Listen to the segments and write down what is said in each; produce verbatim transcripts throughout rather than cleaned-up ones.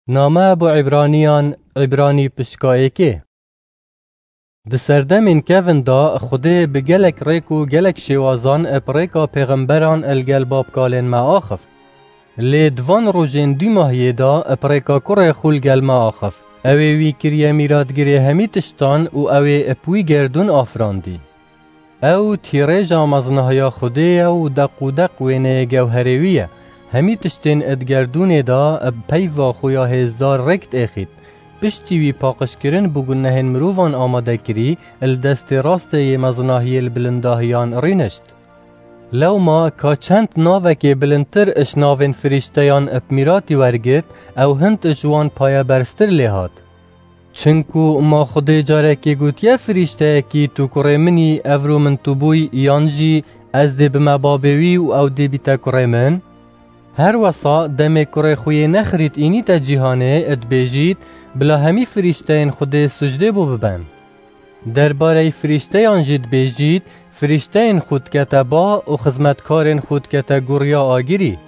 Name bo Îbraniyan, Îbranî pişka êkê. Di serdemên kevin de Xwedê bi gelek rêk û gelek şêwazan bi rêka pêxemberan li gel babkalên me axift. Lê di van rojên dûmahiyê de bi rêka kurê xwe li gel me axift. Ew ê wî kiriye mîratgirê hemî tiştan û ew ê bi wî gerdûn afirandî. Ew tîrêja mezinahiya Xwedê ye û deq û deq wêneyê gewherê wî ye. Hemî tiştên di gerdûnê de bi peyva xuya hêzdar rêk diêxît. Piştî wî paqijkirin bo gunehên mirovan amade kirî, li destê rastê yê mezinahiyê li bilindahiyan rînişt. Lewma ka çend navekê bilindtir ji navên firîşteyan bi mîratî wergirt, ew hind ji wan payeberztir lê hat. Çinku ma Xwedê carekê gotiye firîşteyekî, "Tu kurê min î, evro min tu bûy," yan jî, "Ez dê bime babê wî û ew dê bîte kurê min"? Her wesa demê kurê xwe yê nexirît înîte cîhanê, dibêjît, "Bila hemî firîşteyên Xwedê sucdê bo biben." Derbareyî firîşteyan jî dibêjît, "Firîşteyên xwe dikete ba û xizmetkarên xwe dikete guriya agirî."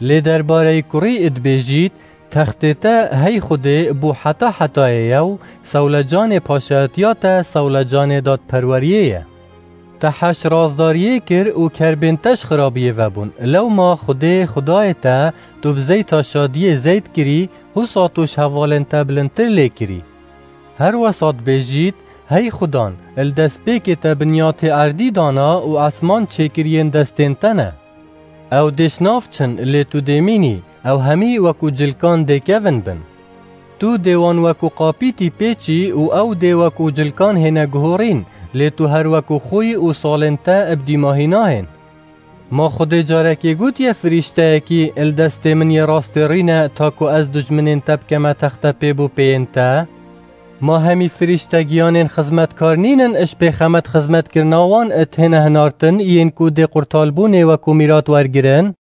Lê derbareyî kurî dibêjît, "Textê te hey Xwedê bo heta hetayê ye û sewlecanê paşayetiya te sewlecanê dadperweriyê ye. Te heş razdariyê kir û kerbên te ji xirabiyê vebûn. Lewma Xwedê, Xwedayê te, tu bi zeyta şadiyê zeyt kirî, husa tu ji hevalên te bilindtir lê kirî." Her wesa dibêjît, "Hey Xudan, li destpêkê te binyatê erdî dana û esman çêkiriyên destên te ne. Ew dê ji nav çin, lê tu dê mînî, ew hemî wekû cilkan dê kevin bin. Tu dê wan wekû qapîtî pêçî û ew dê wekû cilkan hêne guhorîn, lê tu her wekû xwî û salên te bi dîmahî nahên. Ma Xwedê carekê gotiye firîşteyekî, 'Li destê min yê rastê rîne, ta ku ez dijminên te bikeme textepê bo pêyên te'? Ma hemî firîşte giyanên xizmetkar nînin, ji pêxemet xizmetkirina wan têne hinartin, yên ku dê qurtalbûnê wekû mîrat wergirin?